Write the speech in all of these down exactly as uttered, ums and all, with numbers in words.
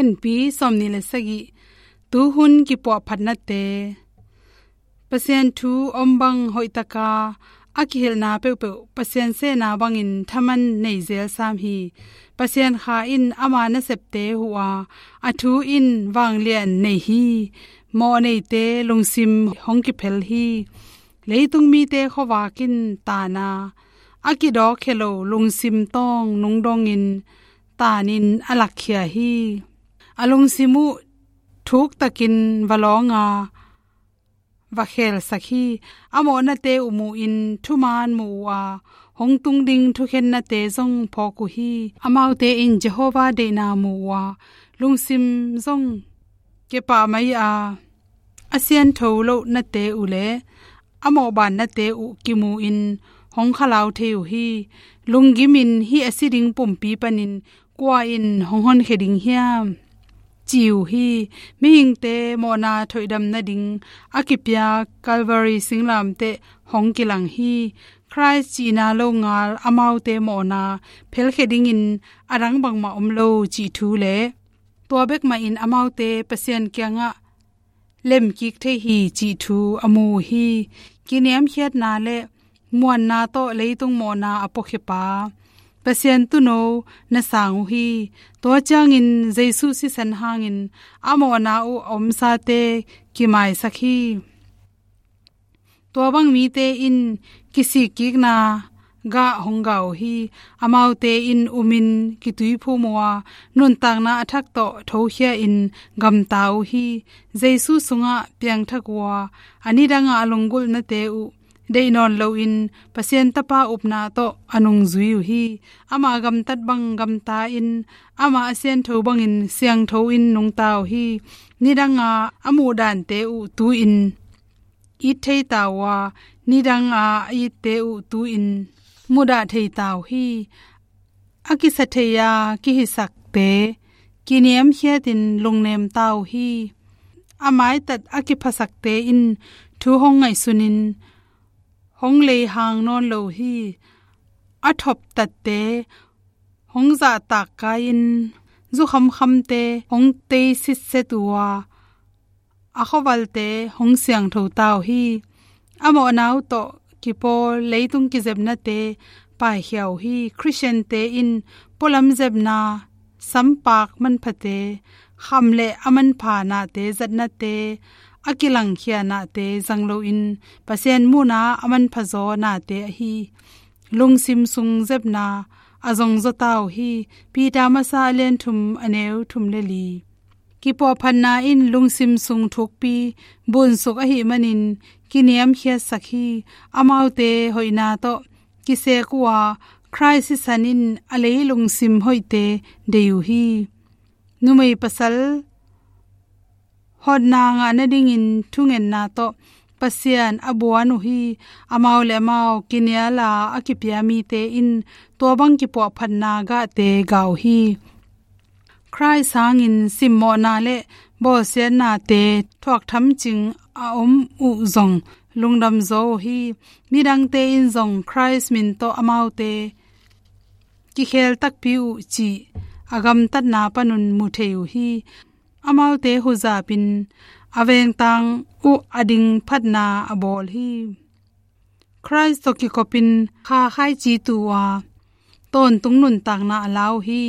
N P sawmnih le sagih. Tuhun kipuahphatnate. Pasian thu om bang hoihtaka a kihilhna peuhpeuh Pasian sehna bangin thaman nei zel sam hi. Pasian Kha in ama nasepte huh a, a thu in vanglian nei hi. Mawh neite lungsim hong kiphel hi. Leitung mite khuavak in tan a, a kidawkkhia lo lungsim tawng nungdongin tanin a lakkhia hi. A lungsim uh thuktakin va lawng a, va khelsak hi. A mawhnate uh mu-in thuman mu uh a, hong tung ding thukhennate zong phawk uh hi. Amaute in Jehovah deihna mu uh a, lungsim zong kepah mai a, a siangtho lohnate uh le a mawhbannate uh kimu-in hong khalau thei uh hi. Lunggimin hih a si ding pumpi panin kua in hong honkhia ding hiam, ci uh hi. Mihingte mawhna thoihdam nading a kipia Calvary singlamteh hong kilang hi. Khrist cihna longal amaute mawhna phelkhia dingin a dang bangmah om lo cih thu le tua bek mahin amaute Pasian kiangah lemkik thei hi cih thu a mu uh hi. Kiniamkhiatna le muanna tawh leitung mawhna a puakhia pa Pasian tuuno na sang uh hi. Tua ciangin Jesu sisan hangin a mawhna uh a omsate kimaisak hi. Tua bang mite in kisikkikna gah hong gah uh hi. Amaute in umin kituiphum uh a, nuntakna a thak tawh thokhia-in gamta uh hi. Jesu sungah piangthak uh a, a nidangah a lunggulhnate uh deih nawn loin Pasian Tapa upna tawh a nungzui uh hi. Ama gamtat bang gamta-in, ama a siangtho bangin siangtho in nungta uh hi. Nidanga a muhdante uh tu-in it thei ta uh a, nidanga a itte uh tu-in mudah thei ta uh hi. A kisa thei a kihisakte kiniamkhiatin lungnem ta uh hi. A maitat a kiphasakte in thu hong ngaihsunin hong leihang nawn lo hi. A thoptatte hong zahtak kai-in, zukhamkhamte hong tei sitset uh a, a khuavalte hong siangtho ta uh hi. A mawhna uh tawh kipawl leitung kizepnate paikhia uh hi. Khristiante in pualam zepna, sampak manphate, kham le a manpha nate zatnate, a kilangkhia nate zang loin Pasian muhna a manphazaw nate ahi lungsim sung zepna a zongzaw ta uh hi. Peter masa a lian thum a neu thum le li. Kipuahphatna in lungsim sung thukpi bunsuk ahih manin kiniamkhiatsak hi. Amaute hoihna tawh kisek uh a, Khrist sisan in a lei lungsim hoihte dei uh hi. Numei pasal hotna ngah nadingin thungetna tawh Pasian a buan uh hi. Amau le amau kinial a a kipia mite in tua bang kipuahphatna gahte gah uh hi. Khrist hangin simmawhna le bawlsiatnate thuak thamcing a om uh zong lungdamzaw uh hi. Midangte in zong Khrist min tawh amaute kikhel takpi uh cih a gamtatna panun mu thei uh hi. Amaute huzapin a vengtang uh a ding phatna a bawl hi. Khrist tawh kikopin kha khaici tu uh a, tawntung nuntakna a la uh hi.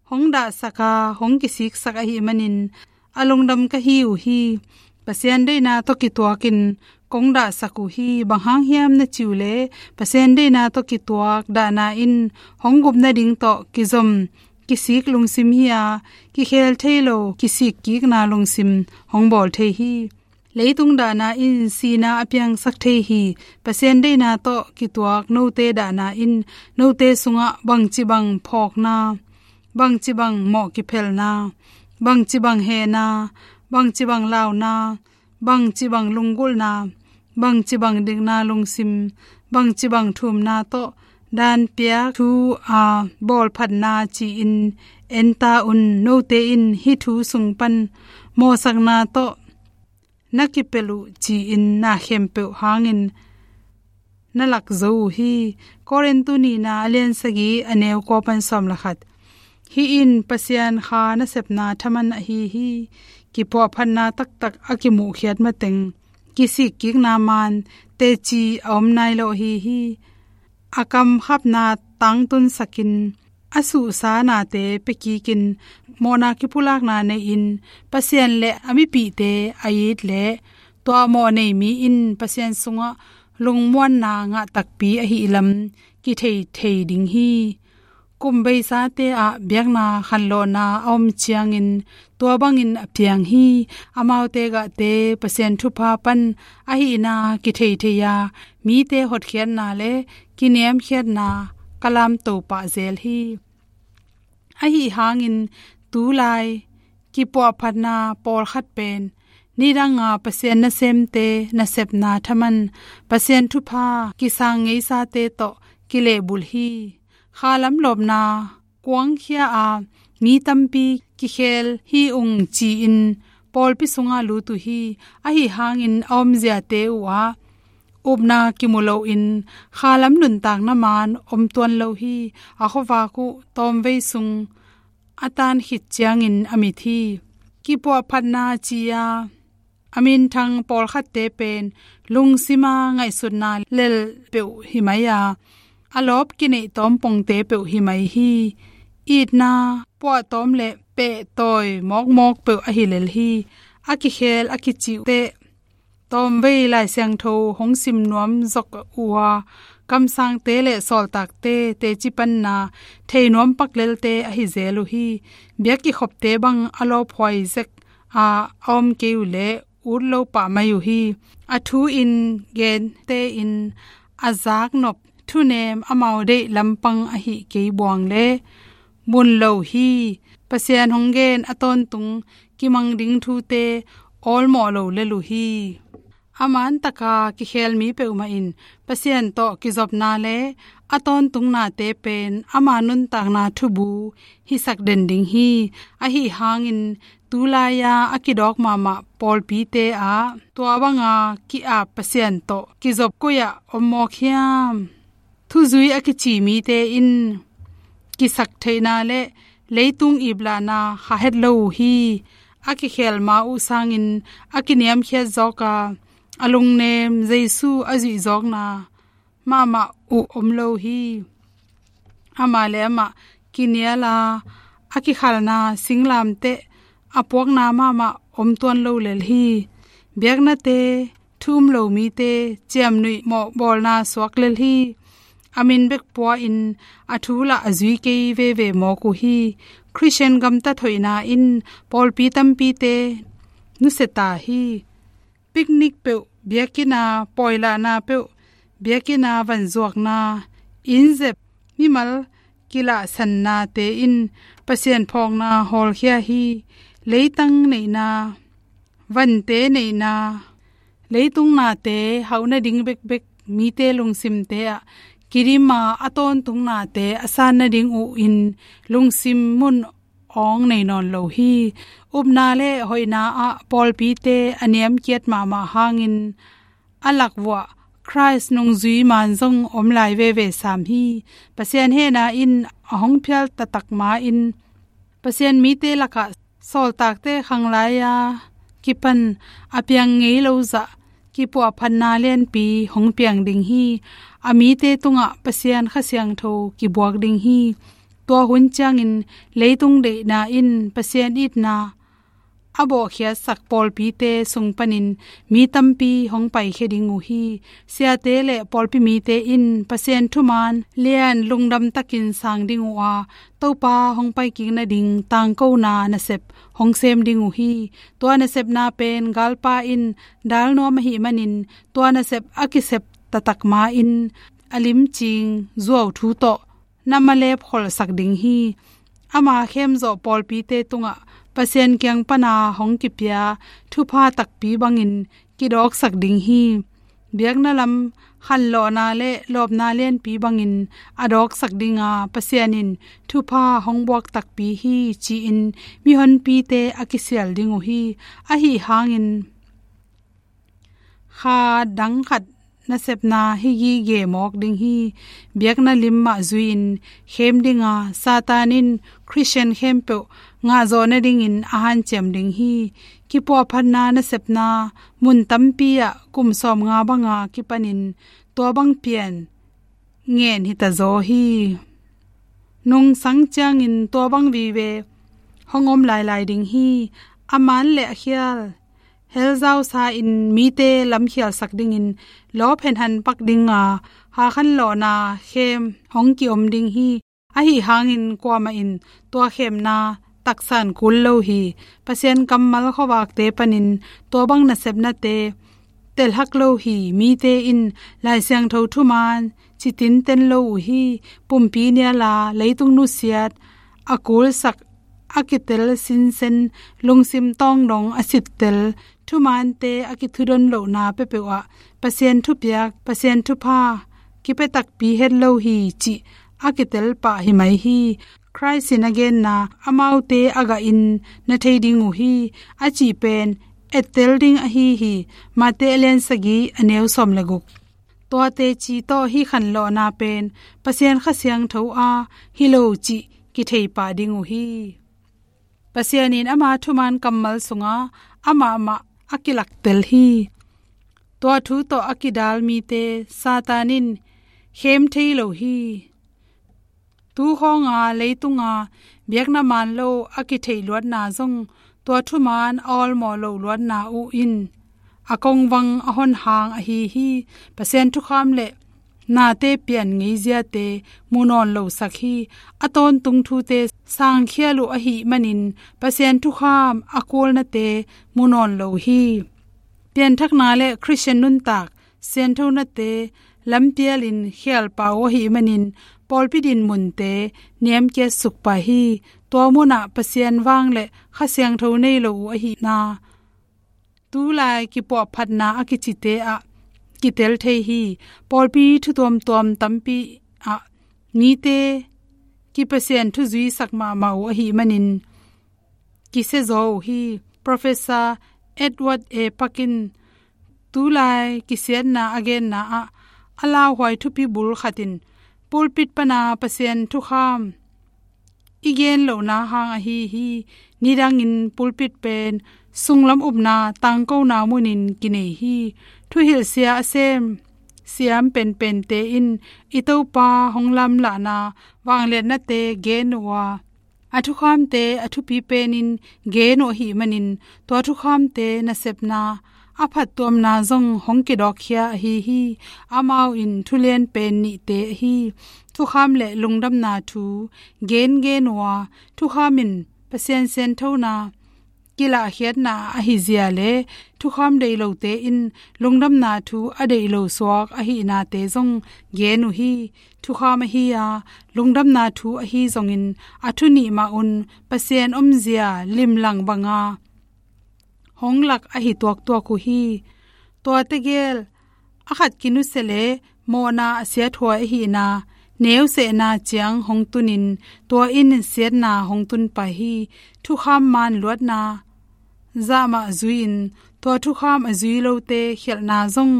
Hong dahsak a, hong kisiksak ahih manin a lungdam ka hi uh hi. Pasian deihna tawh kituakin kong dahsak uh hi. Bang hang hiam na cih uh leh, Pasian deihna tawh kituak dahna in hong gup nading tawh kizom, kisik lungsim hi a, kikhel thei lo kisikkikna lungsim hong bawl thei hi. Leitung dahna in sihna a piangsak thei hi. Pasian deihna tawh kituak note dahna in note sungah bangci bang phawkna, bangci bang mawh kiphelna, bangci bang hehna, bangci bang launa, bangci bang lunggulhna, bangci bang dikna lungsim, bangci bang thumna tawh danpiak thu a bawlphatna ci-in en ta un. Note in hih thu sung pan mawhsakna tawh na kipelh uh ci-in na khempeuh hangin na lak zo uh hi. Korintu nihna a lian sagih a neu kua pan sawm le khat. Hih in Pasian kha nasepna thaman ahi hi. Kipuahphatna taktak a kimuhkhiat mateng kisikkikna man teci a om nai lo ahi hi. A kamkhapna tangtunsakin, a suhsa nate piakikin, mawhna kipulakna nei-in, Pasian le a mipihte a it leh tua mawh nei mi in Pasian sungah lungmuanna ngah takpi ahih lam kithei thei ding hi. Kum beisate ah biakna khanlawhna a om ciangin tua bangin a piang hi. Amaute gahte Pasian thupha pan ahihna kithei thei a, mite hotkhiatna le kiniamkhiatna ka lamto pah zel hi. Ahi hangin tulai kipuahphatna pawlkhat pen nidanga Pasian nasemte nasepna thaman, Pasian thupha kisang ngeisate tawh kilehbulh hi. Khalam lawpna kuangkhia a, mi tampi kikhel hi ung ci-in pawlpi sungah lut uh hi. Ahi hangin a omziate uhah upna kimu loin khalam nuntakna man om tuan lo hi. A khuavak uh tawmvei sung a tan khit ciangin a mit hi. Kipuahphatna ci-a a minthang pawlkhatte pen lungsima ngaihsutna lel peuh hi mai a, a lawp kineih tawm pongte peuh hi mai hi. Itna puahtawm le pehtawi mawkmawk peuh ahi lel hi. A kikhel a kicih uh teh tawmvei Lai Siangtho hong sim nuam zok uh a, kamsangte le sawltakte teci panna thei nuam pak lelte ahi zel uh hi. Biak kikhopte bang a lawphuai zek a, a om kei uh leh ut lo pah mai uh hi. A thu in gente in a zaknop thunem amau deih lampang ahih kei buang le mun lo hi. Pasian hong gen a tawntung kimang ding thute awlmawh lo lel uh hi. A man taka kikhel mi peuhmah in Pasian tawh kizopna le a tawntungnate pen ama nuntakna thubu hisak den ding hi. Ahi hangin tulai-a a kidawk mahmah pawlpite ah tua banga ki-ap Pasian tawh kizop koi-ah om mawk hiam? Thuzui a kici mite in kisaktheihna le leitung iplahna kha het lo uh hi. A kikhel ma uh sangin a kiniamkhiat zawk a, a lungnem Jesu a zuihzawkna mahmah uh om lo hi. Amah le amah kinial a, a kikhalna singlamteh a puakna mahmah om tuan lo lel hi. Biaknate thu um lo mite ciamnuih mawhbawlna suak lel hi. A min bek pua-in a thu lah a zui kei veve mawk uh hi. Khristian gamtat hoihna in pawlpi tampite nusia ta hi. Picnic peuh, biakinn a pawi lahna peuh, biakinn a vanzuakna, innzep, mimal kilahsannate in Pasian phawkna hawlkhia hi. Leitang neihna, vante neihna, leitung nate hauh nading bekbek mite lungsimte ah kidim a, a tawntung nate a san nading uh in lungsim mun awng nei nawn lo hi. Upna le hoihna ah pawlpite a niamkiat mahmah hangin a lak vuah Khrist nungzui man zong om lai veve sam hi. Pasian hehna in a hong phial taktak ma-in Pasian mite lakah sawltakte khanglai-a kipan a piang ngei lo zah kipuahphatna lianpi hong piang ding hi. A mite tungah Pasian Kha Siangtho kibuak ding hi. Tua hun ciangin leitung deihna in Pasian itna a bawhkhiatsak pawlpite sung panin mi tampi hong paikhia ding uh hi. Siate le pawlpi mite in Pasian thuman lian lungdam takin sang ding uh a, Topa hong paikik nading tangkona nasep hong sem ding uh hi. Tua nasepna pen galpa in dal nuam ahih manin tua nasep a kisep taktak ma-in a limcing zuau thu tawh na malep kholsak ding hi. Ama khemzawh pawlpite tungah Pasian kiang pana hong kipia thupha takpi bangin kidawksak ding hi. Biakna lam khanlawhna le lawpna lianpi bangin a dawksak dinga Pasian in thupha hong buak takpi hi ci-in mihonpite a kisial ding uh hi. Ahi hangin kha dang khat nasepna hi gige mawk ding hi. Biakna lim mah zui-in khem dinga Satan in Khristian khempeuh ngahzawh nadingin a hanciam ding hi. Kipuahphatna nasepna mun tampi ah kum sawmnga banga kipanin tua bang pian ngen hitazaw hi. Nungsang ciangin tua bang vive hong om lailai ding hi. A man le a khial hell zausa-in mite lamkhialsak dingin lawp henhan pak dinga hakhan lawhna khem hong kiom ding hi. Ahi hangin kuamah in tua khemna taksan kul lo hi. Pasian kammal khuavakte panin tua bang nasepnate telhak lo hi. Mite in Lai Siangtho thuman citinten lo uh hi. Pumpi niala leitung nusiat a kulsak a kitel sinsen lungsim tawng dong a sittel thumante a kithudon lohna peuhpeuh ah Pasian thupiak, Pasian thupha kipia takpi het lo hi cih a kitel pah hi mai hi. Khrist in a genna amaute a gahin na thei ding uh hi. A cih pen ettel ding ahi hi. Mate a lian sagih a neu sawm le guk. Tuate ci tawh hih khanlawhna pen Pasian Kha Siangtho a hi lo cih kithei pah ding uh hi. Pasian in ama thuman kammal sunga amah mah a kilaktel hi. Tua thu tawh a kidal mite Satan in khem thei lo hi. Tu khawnga leitunga biakna man lo a kitheih luatna zong tua thuman a awlmawh lo luatna uh in a kongvang a hon hang ahi hi. Pasian thukham le nate pian ngeiziate mu nawn lo sak hi. A tawntung thute sangkhial uh ahih manin Pasian thukham a kulnate mu nawn lo hi. Pianthakna le Khristian nuntak sianthonate lampialin khialpa uh ahih manin pawlpi dinmunte niamkiat suk pah hi. Tua munah Pasian vang le Kha Siangtho nei lo uh ahihna tulai kipuahphatna a kicite ah kitel thei hi. Pawlpi thu tuamtuam tampi ah mite kipasian thu zuisak mahmah uh ahih manin kisia zaw uh hi. Professor Edward A Parkin tulai kisiatna a genna ah a lauhuai thupi bul khat in pulpit pana Pasian thukham i gen lohna hang ahi hi. Nidangin pulpit pen sunglam upna tangkona munin kinei hi. Thuhilhsia a sem siam penpente in i Topa hong lamlahna vangliatnate gen uh a, a thukhamte a thupi penin gen uh ahih manin tua thukhamte nasepna a phattuamna zong hong kidawkkhia ahi hi. Amau in thulian pen nihte ahi thukham le lungdamna thu gengen uh a, thukham in Pasian sianthona kilahkhiatna ahi zia le thukham deih lote in lungdamna thu a deih lo suak ahihnate zong gen uh hi. Thukham ahi a lungdamna thu ahi zongin a thu nih mah un Pasian omzia limlang banga hong lak ahi tuaktuak uh hi. Tua tegel a khat kinusia le mawhna a siathuai ahihna neusehna ciang hong tunin tua in siatna hong tun pah hi. Thukham man luatna zahmah zui-in tua thukham a zui lote khialhna zong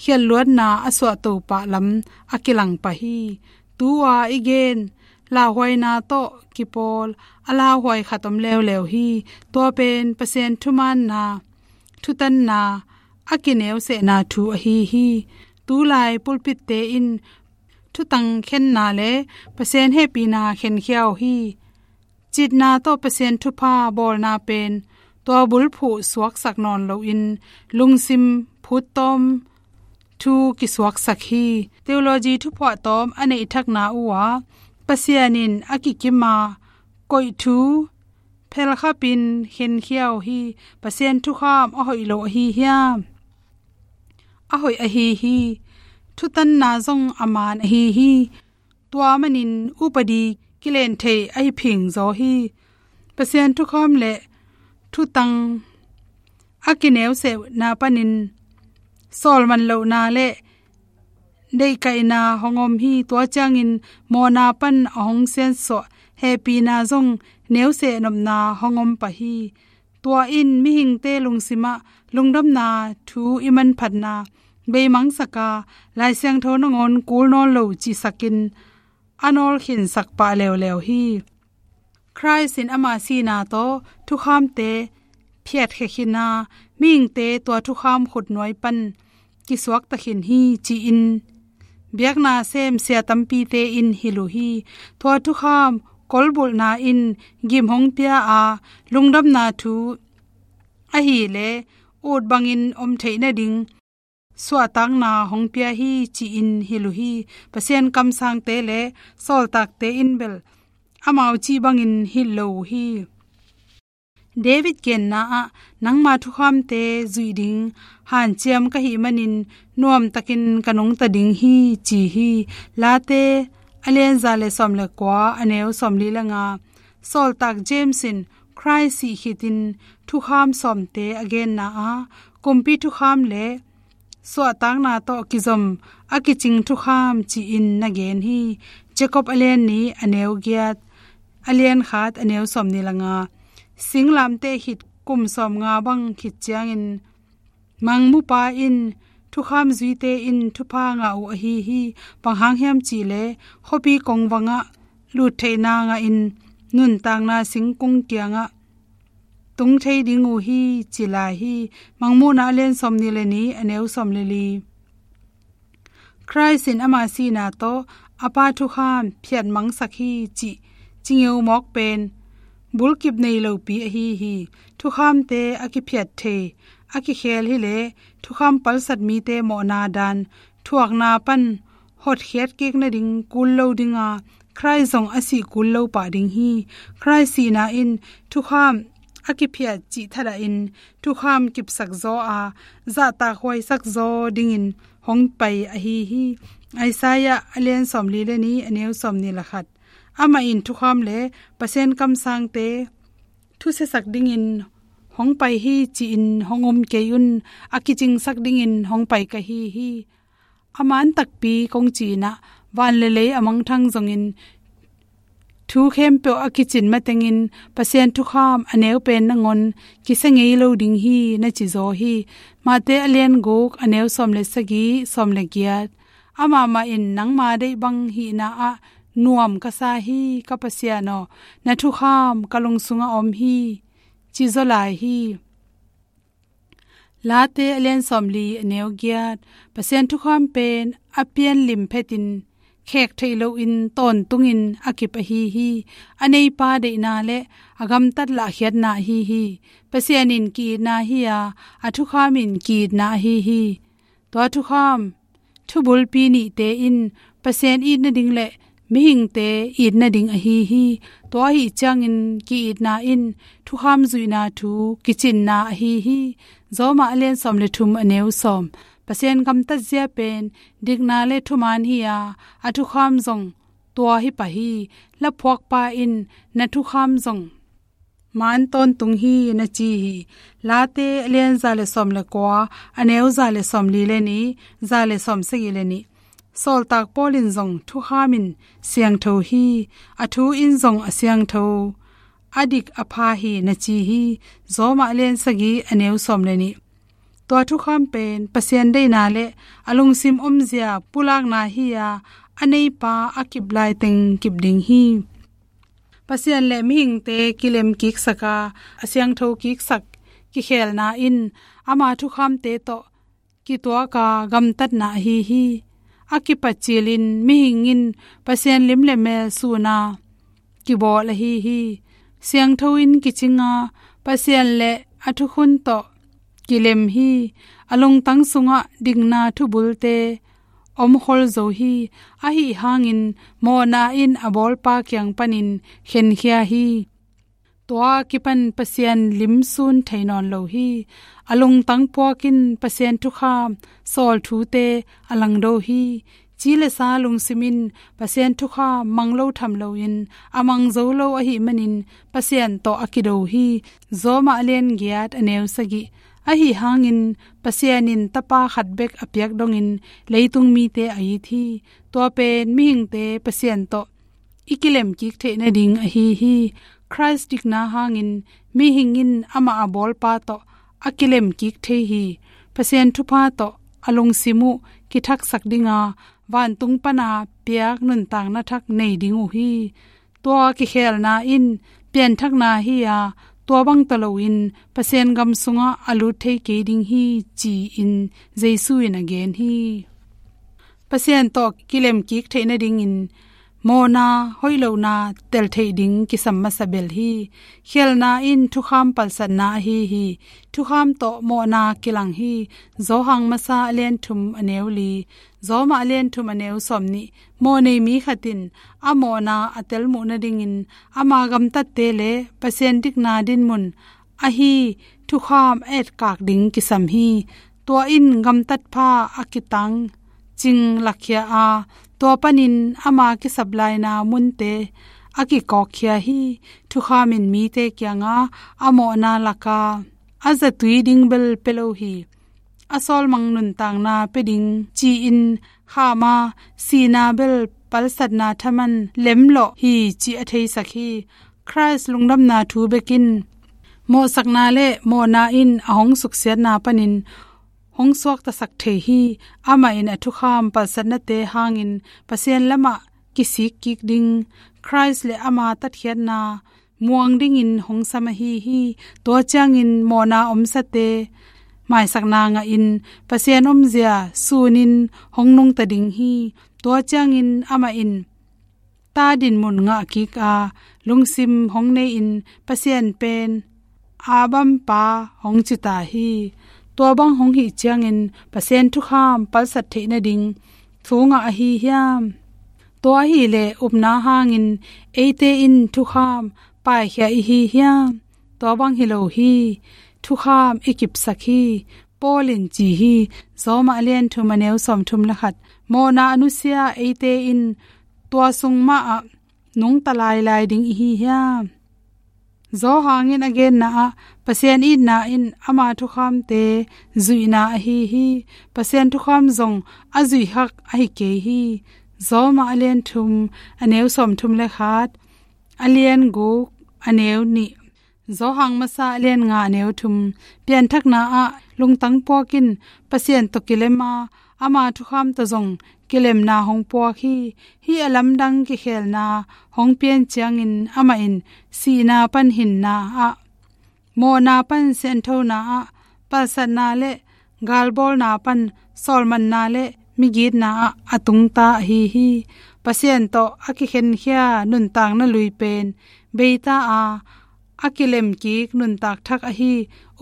khialh luatna a suahto pah lam a kilang pah hi. Tu-a i gen lauhuaina tawh kipawl a lauhuai khat om leuleu hi. Tua pen Pasian thumaanna thutanna a kineusehna thu ahi hi. Tulai pulpitte in thutang khenna le Pasian hehpihna khenkhia uh hi. Citna tawh Pasian thupha bawlna pen tua bulphuh suaksak nawn loin lungsim phuttawm thu kisuaksak hi. Theology thuphuahtawm a neihthakna uh ah Pasian in a kikima koih thu phelkhapin khenkhia uh hi. Pasian thukham a hoih lo ahi hiam? A hoih ahi hi. Thutanna zong a man ahi hi. Tua manin upadi kilen thei ahi phingzaw hi. Pasian thukham le thutang a kineusehna panin sawlman lohna le deihkaihna hong om hi. Tua ciangin mawhna pan a hong siansuah hehpihna zong neuseh nopna hong om pah hi. Tua in mihingte lungsimah lungdamna thu i manphatna beimangsak a, Lai Siangtho nangawn kul nawn lo cihsakin a nawlkhinsak pah leuleu hi. Khrist in ama sihna tawh thukhamte phiatkhia khin a, mihingte tua thukham khutnuai pan kisuakta khin hi ci-in biakna sem sia tampite in hilh uh hi. Tua thukham kolbulhna in gim hong pia a, lungdamna thu ahih leh ut bangin om theih nading suahtakna hong pia hi ci-in hilh uh hi. Pasian kamsangte le sawltakte in bel amau cih bangin hilh lo uh hi. David genna ah, "Nangma thukhamte zuih ding hanciam ka hih manin nuamtakin ka nungta ding hi," ci hi. Late a lian za le sawm le kua, a neu sawmli le nga. Sawltak James in Khrist sih khitin thukham sawmte a genna ah, kumpi thukham le suahtakna tawh kizom a kicing thukham ci-in na gen hi. Jakob a lian nih, a neu giat, a lian khat, a neu sawmnih le nga. Singlamteh khit kum sawmnga bang khit ciangin mangmupa in thukham zuite in thupha ngah uh ahi hi. Bang hang hiam cih leh khuapi kongvangah lut theihna ngahin nuntakna singkung kiangah tung thei ding uh hi ci lai hi. Mangmuhna a lian sawmnih le nih, a neu sawm le li. Khrist in ama sihna tawh a Pa thukham phiatmangsak hi cih cingeu mawk pen bulkip nei lopi ahi hi. Thukhamte a kiphiat thei, a kikhel hi leh thukham palsat mite mawhna dan thuakna pan hotkhiat kik nading kul lo ding a, Khrist zong a sih kul lo pah ding hi. Khrist sihna in thukham a kiphiat cih thadahin thukham kipsak zaw a, zahtak huaisak zaw dingin hong pai ahi hi. Isaiah a lian sawmli le nih, a neu sawmnih le khat. Amah in thukham le Pasian kamsangte thusiasak dingin hong pai hi ci-in hong om kei un, a kicingsak dingin hong pai ka hi hi. A man takpi kong ci-in ah, van le lei a mangthang zongin thu khempeuh a kicin matengin Pasian thukham a neu pen nangawn kisia ngei lo ding hi na ci zaw hi. Mate a lian guk, a neu sawm le sagih, sawm le giat. Amah mah in, "Nangma deih bang hihna ah nuam ka sa hi, ka Pasian aw, na thukham ka lung sungah om hi," ci zaw lai hi. Late a lian sawmli, a neu giat. Pasian thukham pen a pianlim phetin khek theih loin tawntungin a kip ahi hi. A neipa deihna le a gamtat lahkhiatna ahi hi. Pasian in ki-itna hi a, a thukham in ki-itna ahi hi. Tua thukham thubulpi nihte in Pasian it nading le mihingte it nading ahi hi. Tua ahih ciangin ki-itna in thukham zuihna thu kicinna ahi hi. Rom a lian sawm le thum, a neu sawm. Pasian gamtatzia pen dikna le thuman hi a, a thukham zong tua hi pah hi. Laphuakpa in, "Na thukham zong man tawntung hi," na ci hi. Late a lian za le sawm le kua, a neu za le sawmli le nih, za le sawmsagih le nih. Sawltak Paul in zong, "Thukham in siangtho hi, a thu in zong a siangtho, a dik a pha hi," na ci hi. Rom a lian sagih, a neu sawm le nih. Tua thukham pen Pasian deihna le a lungsim omzia pulakna hi a, a neipa a kip laiteng kip ding hi. Pasian le mihingte kilem kiksak a, a siangtho kiksak kikhelna in ama thukhamte tawh kituak a gamtatna ahi hi. A kipat cilin mihing in Pasian lim le mel sun a kibawl ahi hi. Siangtho in kicing a, Pasian le a thukhun tawh kilem hi. A lungtang sungah dikna thubulte omkhol zo hi. Ahi hangin mawhna in a bawlpa kiang panin khenkhia hi. Tua kipan Pasian lim sun thei nawn lo hi. A lungtang puak in Pasian thukham sawl thute a langdo hi. Ci le sa lungsim in Pasian thukham mang lo tham loin, a mang zo lo ahih manin Pasian tawh a kido hi. Rom a lian giat, a neu sagih. Ahi hangin Pasian in Tapa khat bek a piak dongin leitung mite a it hi. Tua pen mihingte Pasian tawh i kilem kik theih nading ahi hi. Khrist dikna hangin mihing in amah a bawlpa tawh a kilem kik thei hi. Pasian thupha tawh a lungsim uh kithaksak dinga, vantung pana piak nuntakna thak nei ding uh hi. Tua kikhelna in pianthakna hi a, tua bang tawh loin Pasian gam sungah a lut thei kei ding hi, ci-in Jesu in a gen hi. Pasian tawh kilemkik theih nadingin mawhna, hoih lohna tel theih ding kisam masa bel hi. Khelna in thukham palsatna ahi hi. Thukham tawh mawhna kilang hi. Johan masa a lian thum a neu li, Roma a lian thum a neu sawm nih. Mawh nei mi khat in a mawhna a tel muh nadingin ama gamtatte le Pasian dikna dinmun ahi thukham a etkak ding kisam hi. Tua in gamtat pha a kitang cing lakkhia a, tua panin ama kisap laina munte a kikawkkhia hi. Thukham in mite kianga a mawhna laka a zatui ding bel pia lo hi. A sawlmang nuntakna pia ding ci-in kham a, sihna bel palsatna thaman lemlawh hi, ci a theisak hi. Khrist lungdamna thu bekin mawhsakna le mawhna in a hong suksiatna panin hong suaktasak thei hi. Amah in a thukham palsatnate hangin Pasian lamah kisik kik ding, Khrist le ama tatkhiatna muang dingin hong sam ahi hi. Tua ciangin mawhna omsate maisakna ngahin Pasian omzia sunin hong nungta ding hi. Tua ciangin amah in ta dinmun ngah kik a, lungsim hong nei-in Pasian pen Abba Pa hong ci ta hi. Tua bang hong hih ciangin Pasian thukham palsat theih nading thu ngah ahi hiam? Tua hileh upna hangin eite in thukham paikhia i hi hiam? Tua bang hi lo hi. Thukham i kipsak hi. Paul in ci hi. Roma a lian thum a neu sawm thum le khat. Mawhna a nusia eite in tua sung mah ah nungta lailai ding i hi hiam? Johan in a genna ah Pasian itna in ama thukhamte zuihna ahi hi. Pasian thukham zong a zuih hak ahi kei hi. Roma a lian thum a neu sawm thum le khat, a lian guk a neu nih, Johan masa a lian nga a neu thum. Pianthakna ah lungtang puak in Pasian tawh kilem a, ama thukham tawh zong kilemna hong puak hi. Hih a lamdang kikhelna hong pian ciangin amah in sihna pan hinna ah mawhna pan sianthona ah, palsatna le galbawlna pan sawlmanna le migitna ah a tungta ahi hi. Pasian tawh a kikhenkhia nuntakna lui pen beita a, a kilemkik nuntak thak ahi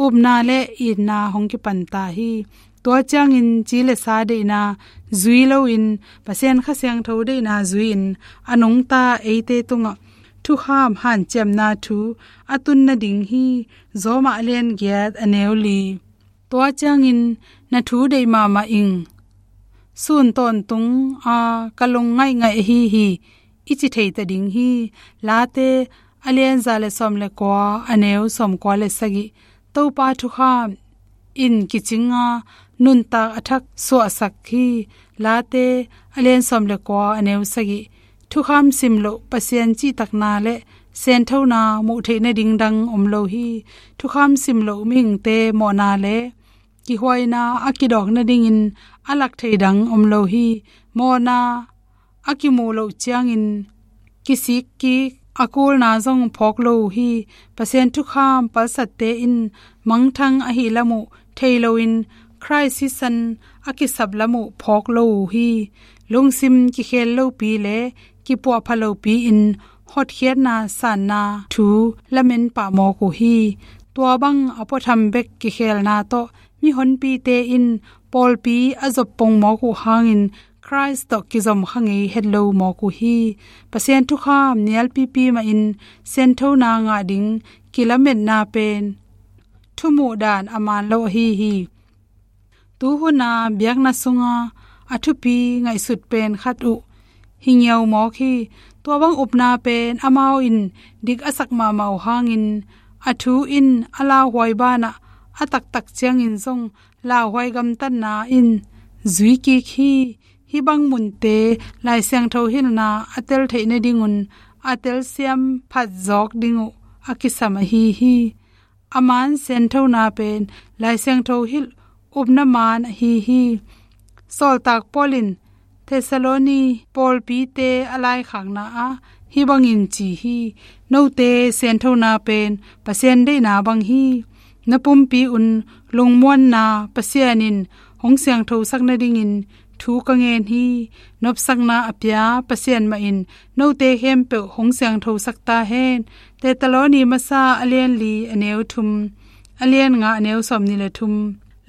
upna le itna hong kipanta hi. Tua ciangin ci le sa deihna zui loin Pasian Kha Siangtho deihna zui-in a nungta eite tungah thukham hanciamna thu a tun nading hi. Roma a lian giat a neu li. Tua ciangin na thu deih mahmah ing. Sun tawntung a ka lung ngaihngaih ahi hi, i ci thei ta ding hi. Late a lian za le sawm le kua a neu sawm kua le sagih. Topa thukham in kicinga nuntak a thak suahsak hi. Late a lian sawm le kua a neu sagih. Thukham sim loh Pasian cihtakna le sianthona muh theih nading dang om lo hi. Thukham sim loh mihingte mawhna le kihuaina a kidawk nadingin a lak thei dang om lo hi. Mawhna a kimuh loh ciangin kisik kik a kulna zong phawk lo uh hi. Pasian thukham palsatte in mangthang ahi lam uh thei loin Khrist sisan a kisap lam uh phawk lo uh hi. Lungsim kikhel lopi le kipuahpha lopi in hotkhiatna sanna thu lamen pah mawk uh hi. Tua bang a puatham bek kikhelna tawh mihonpite in pawlpi a zop pong mawk uh hangin Khrist tawh kizom kha ngei het lo mawk uh hi. Pasian thukham nialpipi mahin sianthona ngah ding kilametna pen thumuh dan a man lo ahi hi. Tuhuna biakna sunga a thupi ngaihsut pen khat uh hi ngiau mawk hi. Tua bang upna pen amau in dik a sak mahmah uh hangin a thu in a lauhuai banah a taktak ciangin zong lauhuai gamtatna in zui kik hi. Hih bang munte Lai Siangtho hilhna a tel theih nadingun a telsiam phat zawk ding uh a kisam ahi hi. A man sianthona pen Lai Siangtho hilh upna maan ahi hi. Sawltak Paul in Thessaloni pawlpite a laikhakna ah hih bangin ci hi: Note sianthona pen Pasian deihna bang hi. Na pumpi un lungmuanna Pasian in hong siangthosak nadingin thu ka ngen hi. Nopsakna a pia Pasian mah in note khempeuh hong siangthosak ta hen. Thessaloni masa a lian li a neu thum, a lian nga a neu sawmnih le thum.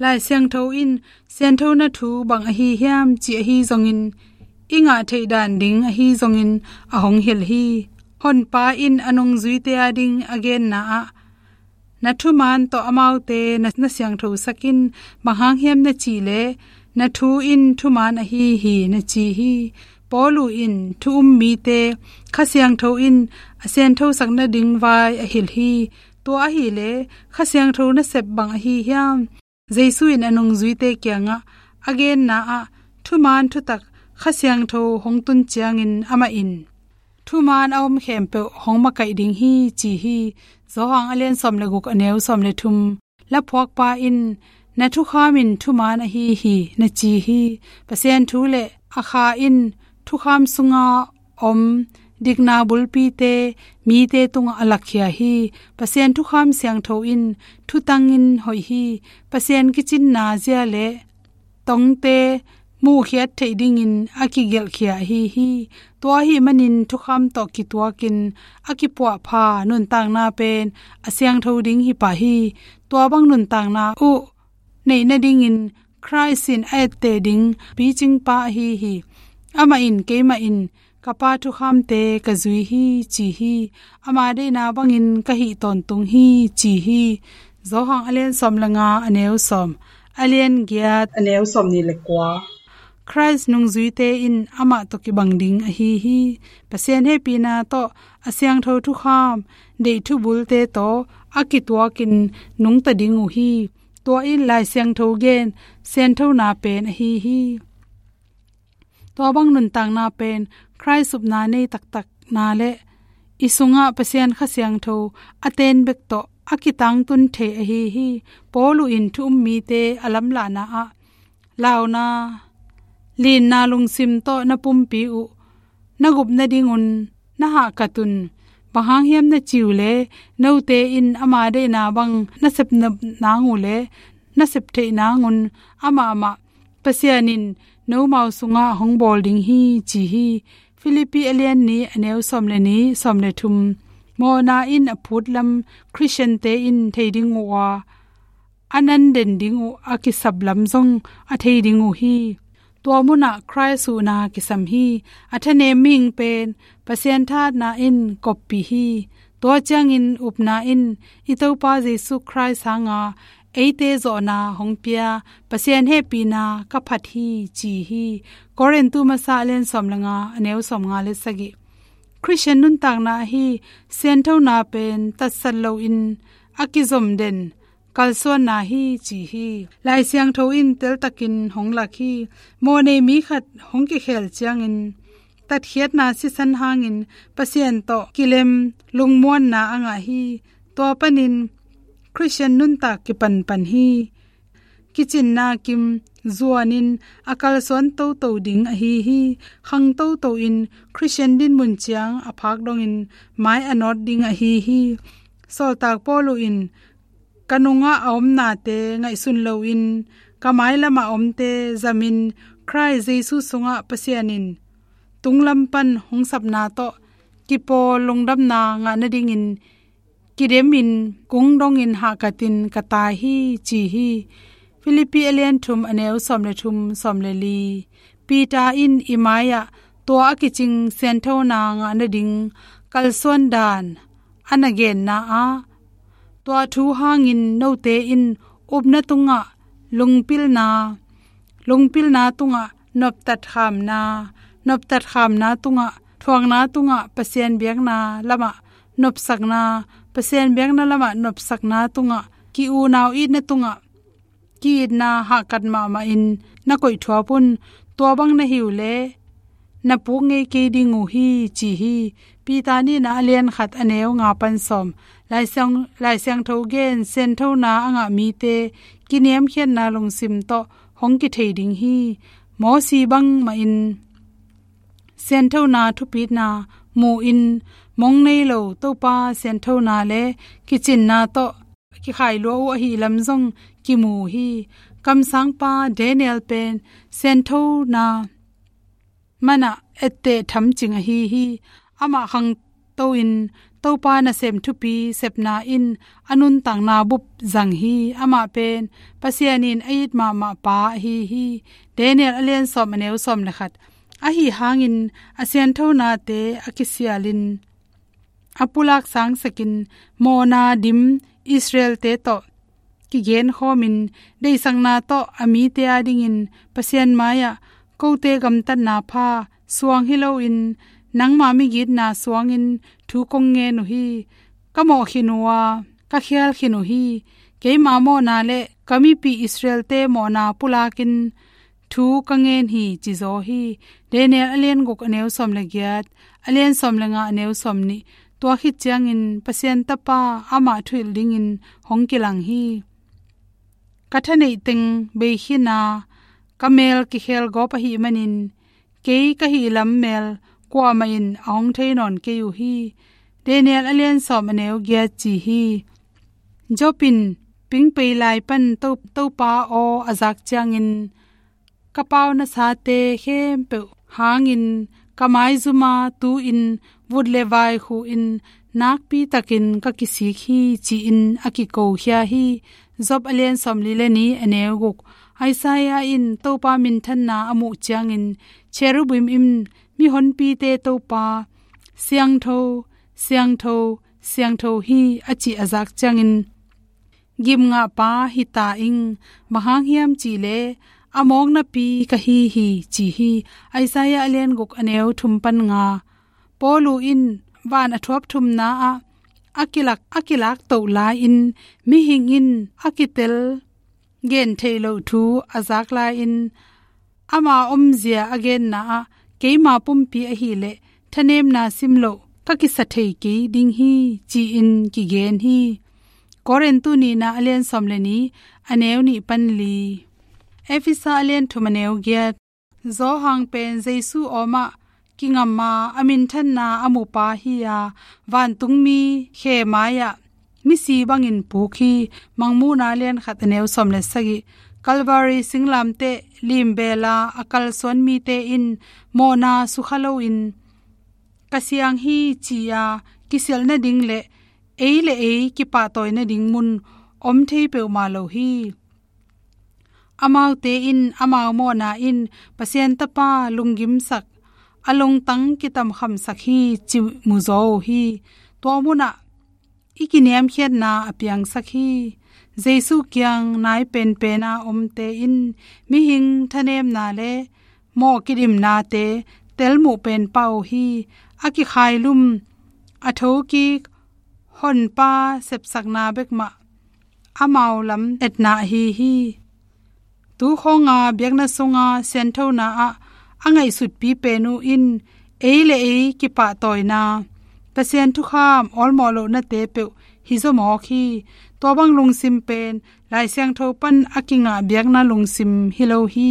Lai Siangtho in sianthona thu bang ahi hiam ci ahi zongin, i ngah theih dan ding ahi zongin a hong hilh hi. Honpa in a nungzuite a ding a genna ah, na thumaan tawh amaute na, na siangthosak in, bang hang hiam na cih leh, na thu in thumaan ahi hi, na ci hi. Paulu in thu um mite Kha Siangtho in a sianthosak nading vai a hilh hi. Tua ahih leh Kha Siangtho nasep bang ahi hiam? Jesu in a nungzuite kiangah a genna ah thumaan thutak Kha Siangtho hong tun ciangin amah in, thumaan a om khempeuh hong makaih ding hi, ci hi. Johan a lian sawm le guk a neu sawm le thum. Laphuakpa in, na thukham in thumaan ahi hi, na ci hi. Pasian thu le a Kha in thukham sunga om dikna bulpite mite tungah a lakkhia hi. Pasian thukham siangtho in thutangin hoih hi. Pasian kicinna zia le tongte muhkhiat theih dingin a kigelhkhia ahi hi. Tua ahih manin thukham tawh kituakin a kipuahpha nuntakna pen a siangtho ding hi pah hi. Tua bang nuntakna uh neih nadingin Khrist in a etteh ding picingpa ahi hi. Amah in keimah in ka Pa thukhamte ka zui hi, ci hi. Ama deihna bangin ka hih tawntung hi, ci hi. Johan a lian sawm le nga a neu sawm, a lian giat a neu sawmnih le kua. Khrist nungzuite in amah tawh kibang ding ahi hi. Pasian hehpihna tawh a siangtho thukham deih thubulte tawh a kituakin nungta ding uh hi. Tua in Lai Siangtho gen sianthona pen ahi hi. Tua bang nuntakna pen Khrist upna nei taktakna le i sungah Pasian Kha Siangtho a ten bek tawh a kitangtun thei ahi hi. Paulu in thu um mite a lamlahna ah, launa, linna lungsim tawh na pumpi uh na gup nadingun na hahkat un. Bang hang hiam na cih uh leh, note in ama deihna bang na sep nop nang uh leh na sep theih nangun amah mah Pasian in nomau sungah hong bawl ding hi, ci hi. Filippi a lian nih a neu sawm le nih, sawm le thum. Mawhna in a phutlam Khristiante in thei ding uh a, a nan den ding uh a kisap lam zong a thei ding uh hi. Tua munah Khrist huhna kisam hi. A thanem mihing pen Pasian thahatna in koppih hi. Tua ciangin upna in i Topa Jesu Khrist hanga eite zawhna hong pia Pasian hehpihna ka phat hi, ci hi. Korintu masa a lian sawm le nga a neu sawm nga le sagih. Khristian nuntakna ahi sianthona pen tatsat loin a kizom den kalsuanna hi, ci hi. Lai Siangtho in teltakin hong lak hi. Mawhnei mi khat hong kikhel ciangin tatkhiatna sisan hangin Pasian tawh kilem lungmuanna a ngah hi. Tua panin Khristian nuntak kipanpan hi. Kicinna kim zuanin a kalsuan toto ding ahi hi. Khang toto in Khristian dinmun ciang a phak dongin mai a nawt ding ahi hi. Sawltak Paulu in, ka nungah a om nate ngaihsun loin ka mailamah a omte zamin Khrist Jesu sungah Pasian in tunglam pan hong sapna tawh kipawl lungdamna ngah nadingin kidemin kung dongin hahkatin ka tai hi, ci hi. Filippi a lian thum a neu sawm le thum, sawm le li. Peter in i mai-ah tua a kicing sianthona ngah nading kalsuan dan a na genna ah, tua thu hangin note in upna tungah lungpilna, lungpilna tungah noptatkhamna, noptatkhamna tungah thuakna tungah Pasian biakna lamah nopsakna, Pasian biakna lamah nopsakna tungah ki-unau itna tungah ki-itna hahkat mahmahin na koihthuap un. Tua bang na hi uh leh na puk ngei kei ding uh hi, ci hi. Peter nihna a lian khat a neu nga pan sawm. Lai Siang, Lai Siangtho gen sianthona a ngah mite kiniamkhiatna lungsim tawh hong kithei ding hi. Mawsi bangmahin sianthona thupitna mu-in mong nei lo Topa sianthona le kicinna tawh kikhai lua uh ahih lam zong kimu hi. Kamsangpa Daniel pen sianthona manah etteh thamcing ahi hi. Amah khangto-in Topa nasem thupi sepna in a nuntakna bup zang hi. Amah pen Pasian in a it mahmah pa ahi hi. Daniel a lian sawm a neu sawm le khat. Ahi hangin a sianthonate a kisialin a pulak sangsakin mawhna dim Israel-te tawh kigenkhawmin deihsakna tawh a mite adingin Pasian mai-ah kote gamtatna pha suang hi loin nangma migitna suangin thu kong ngen uh hi. Ka mawh khin uh a, ka khial khin uh hi. Keima mawhna le ka mipi Israel-te mawhna pulakin thu ka ngen hi, ci zaw hi. Daniel a lian guk a neu sawm le giat, a lian sawm le nga a neu sawm nih. Tua khit ciangin Pasian Tapa amah thuhilh dingin hong kilang hi. Ka thaneih teng bei khin a, ka mel kikhel gawp ahih manin kei ka hih lam mel kuamah in a hong thei nawn kei uh hi. Daniel a lian sawm a neu giat ci hi. Job in pingpei lai pan To, Topa aw a zak ciangin ka pau nasate khempeuh hangin ka maizuma tu-in vut le vai khuhin nakpitakin ka kisik hi, ci-in a kikokhia hi. Job a lian sawm li le nih a neu guk. Isaiah in Topa minthanna a muh ciangin cherubim in mihonpite Topa siangtho, siangtho, siangtho hi a cih a zak ciangin gimngahpa hi ta ing. Bang hang hiam cihleh a mawknapi ka hi hi, ci hi. Isaiah a lian guk a neu thum pan nga. Paulu in van a thuap thumna ah a kilak, a kilak toh lai-in mihing in a kitel gen theih loh thu a zak lai-in ama omzia a genna ah keima pumpi ahileh thanemna sim loh ka kisa thei kei ding hi, ci-in kigen hi. Korintu nihna a lian sawm le nih a neu nih pan li. Efesa a lian thum a neu giat. Johan pen Jesu awmah kingam a, a minthanna a mupa hi a, vantungmi khe mai-ah misi bangin puk hi. Mangmuhna lian khat a neu sawm le sagih. Calvary singlamteh limbela a kalsuan mite in mawhna sukha loin ka siang hi ci-a kisialh nading le ei le ei kipahtawi nading mun om thei peuhmah lo hi. Amaute in amau mawhna in Pasian Tapa lunggimsak, a lungtang kitamkhamsak hi cih mu zaw uh hi. Tua munah i kiniamkhiatna a piangsak hi. Jesu kiang nai penpen a omte in mihing thanemna le mawh kidimnate telmuh pen pah uh hi. A kikhailum, a thokik Honpa sepsakna bek mah amau lam etna ahi hi. Tu khawnga biakna sunga sianthona ah a ngaihsutpi pen uh in ei le ei kipahtawina, Pasian thukham awlmawh lohnate peuh hi zaw mawk hi. Tua bang lungsim pen Lai Siangtho pan a kingah biakna lungsim hi lo hi.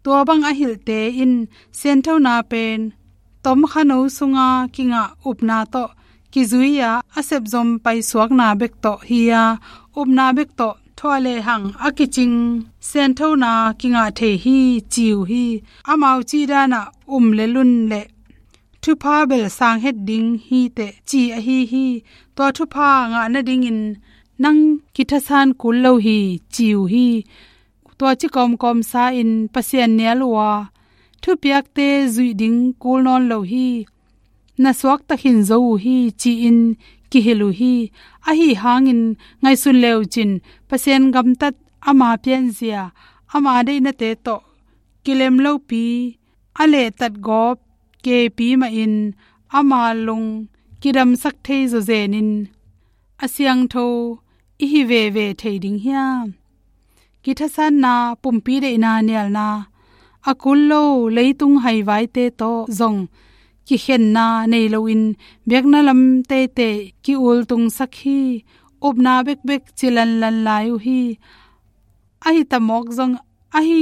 Tua bang a hilhte in sianthona pen tomkhano sunga kingah upna tawh kizui-a a sepzom paisuakna bek tawh hi-a, upna bek tawh thuah lehang a kicing sianthona kingah thei hi ci uh hi. Amau cihdanah um le lun le thupha bel sang het ding hi teh ci ahi hi. Tua thupha ngah nadingin nang kithasan kul lo hi ci uh hi. Tua ci kawmkawm sa-in Pasian nial uh a, thupiakte zuih ding kul nawn lo hi. Na suakta khin zo uh hi ci-in kihilh uh hi. Ahi hangin ngaihsun le uh cin, Pasian gamtat ama pianzia, ama deihnate tawh kilem lopi a lehtat gawp kepi mahin ama lung kidamsak thei zawzenin a siangtho i hi veve thei ding hiam? Kithasanna, pumpi deihna nialna, a kul lo leitung haivaite tawh zong kikhenna nei loin biakna lam teitei ki-ultungsak hi. Upna bekbek cilanlan lai uh hi. Ahi tamawk zong, ahi,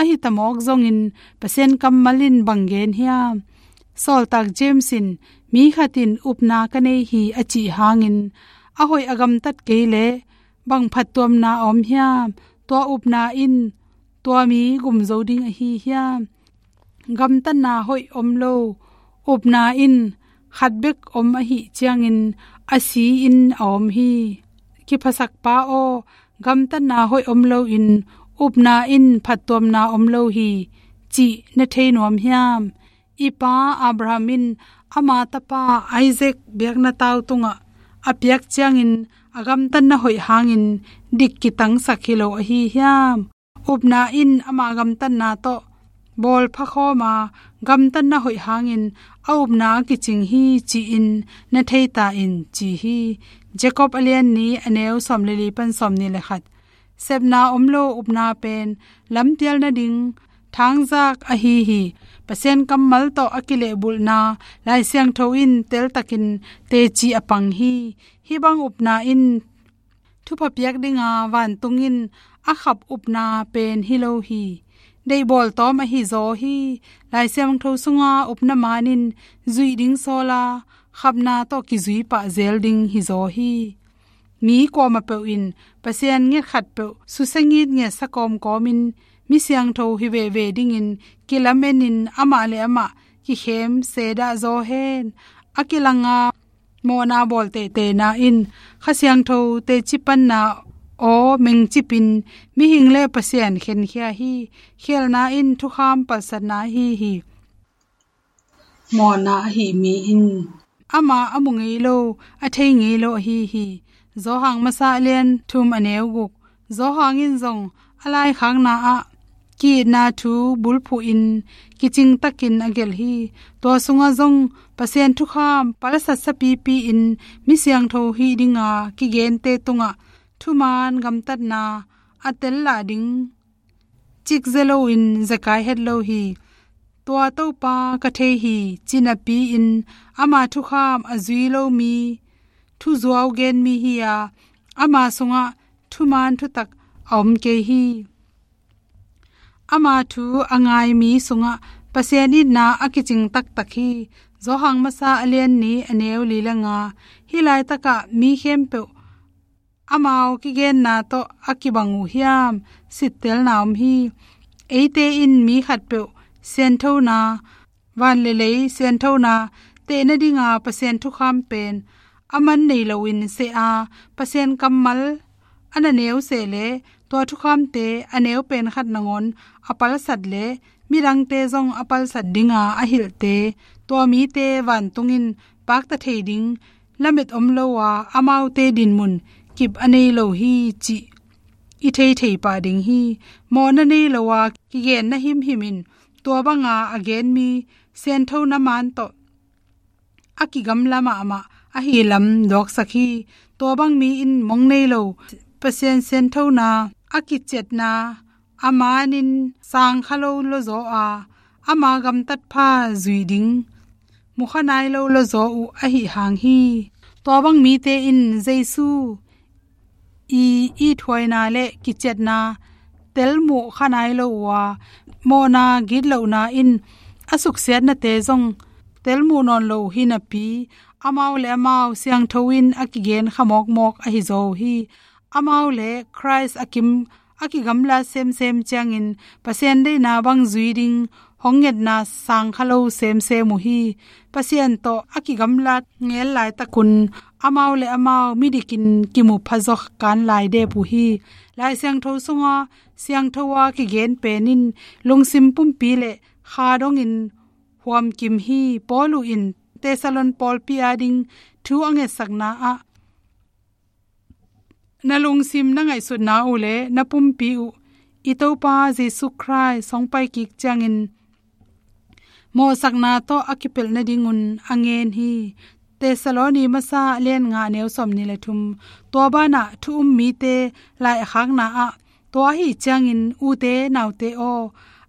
ahi tamawk zongin Pasian kammal in bang gen hiam? Sawltak James in, "Mi khat in upna ka nei hi," a cih hangin a hoih a gamtat kei leh bang phattuamna a om hiam? Tua upna in tua mi gum zo ding ahi hiam? Gamtatna hoih om lo upna in khat bek om ahih ciangin a si-in a om hi. Kiphasak pa aw, gamtatna hoih om loin upna in phattuamna om lo hi cih na thei nuam hiam? I pa Abraham in ama tapa Isaac biakna tau tungah a piak ciangin a gamtatna hoih hangin dik kitangsak hi lo ahi hiam? Upna in ama gamtatna tawh bawlpha khawm a, gamtatna hoih hangin a upna a kicing hi ci-in na thei ta in, ci hi. Jacob a lian nih, a neu sawm le li pan sawm nih le khat. Sepna om lo upna pen lampial nading thangzak ahi hi. Pasian kammal tawh a kilehbulhna Lai Siangtho in teltakin teci a pang hi. Hih bang upna in thupha piak dinga vantung in a khap upna pen hi lo hi. Deihbawl tawm ahi zaw hi. Lai Siangtho sunga upna man in zuih ding sawl a, khapna tawh kizui pah zel ding hi zaw hi. Mi kuamah peuh in Pasian nget khat peuh susia ngitnget sa kawmkawmin mi siangtho hi veve dingin kilamen in amah le amah kikhem sedah zaw hen. A kilanga mawhna bawl teiteina in Kha Siangtho teci panna aw mengcipin mihing le Pasian khenkhia hi. Khialhna in thukham palsatna ahi hi. Mawhna ahi mi in ama a mu ngei lo, a thei ngei lo ahi hi. Johan masa a lian thum, a neu guk. Johan in zong a laikhakna ah ki-itna thu bulphuhin kicingtakin a gelh hi. Tua sungah zong Pasian thukham palsat sapipi in mi siangtho hih dinga kigente tungah thuman gamtatna a tel lah ding cik ze loin zekai het lo hi. Tua Topa ka thei hi ci napi-in ama thukham a zui lo mi thuzuau gen mi hi a, ama sungah thuman thutak a om kei hi. Ama thu a ngai mi sungah Pasian itna a kicing taktak hi. Johan masa a lian nih, a neu li le nga. Hih laitakah mi khempeuh amau kigenna tawh a kibang uh hiam? Sittelna om hi. Eite in mi khatpeuh sianthona, van le lei sianthona tehna dinga Pasian thukham pen a man nei loin seh a, Pasian kammal a na neu seh leh tua thukhamte a neu pen khat nangawn a palsat leh midangte zong a palsat dinga a hilhte, tua mite vantung in pakta thei ding lamet om lo a, amaute dinmun kip a nei lo hi cih i theithei pah ding hi. Mawhna nei lo a kigenna himhim in tua banga a gen mi sianthona man tawh a kigamla mahmah ahi lam duaksak hi. Tua bang mi in mong nei lo, Pasian sianthona a kiciatna a manin sangkha lo lawzaw a, ama gamtat pha zui ding mukha nai lo lawzaw uh ahi hang hi. Tua bang mite in Jesu i ithuaina le kiciatna telmuh kha nai lo uh a, mawhna gitlohna in a suksiatnate zong telmuh nawn lo uh hi napi, amau le amau siangtho in a kigen kha mawkmawk ahi zaw uh hi. Amau le Khrist a kim a kigamla semsem ciangin Pasian deihna bang zui ding hong ngetna sangkha lo semsem uh hi. Pasian tawh a kigamlat ngel laitakun amau le amau midikin kimu phazaw kan lai dep uh hi. Lai Siangtho sunga siangtho a kigen pen in lungsim pumpi le kha dongin huamkim hi. Paul uh in Thessalon pawlpi ading thu a ngetsakna ah, na lungsim, na ngaihsutna uh le na pumpi uh i Topa Jesu Khrist hong pai kik ciangin mawhsakna tawh a kipelh nadingun a ngen hi. Thessaloni masa a lian nga, a neu sawm nih le thum. Tua banah thu um mite lai a khakna ah, tua ahi ciangin ute naute aw,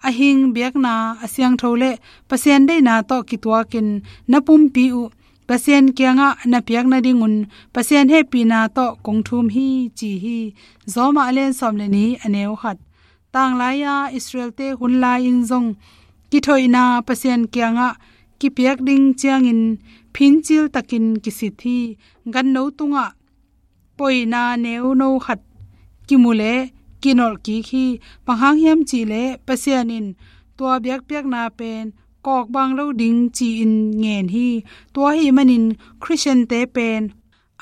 a hing biakna a siangtho le Pasian deihna tawh kituakin na pumpi uh Pasian kiangah na piak nadingun Pasian hehpihna tawh kong thum hi, ci hi. Roma a lian sawm le nih, a neu khat. Tanglai-a Israel-te hun lai-in zong kithoihna Pasian kiangah kipiak ding ciangin phincil takin kisit hi. Ganno tungah poina neuno khat kimu le kinolh kik hi. Bang hang hiam cih leh Pasian in tua biakpiakna pen kawkbang lo ding ci-in ngen hi. Tua ahih manin Khristian-te pen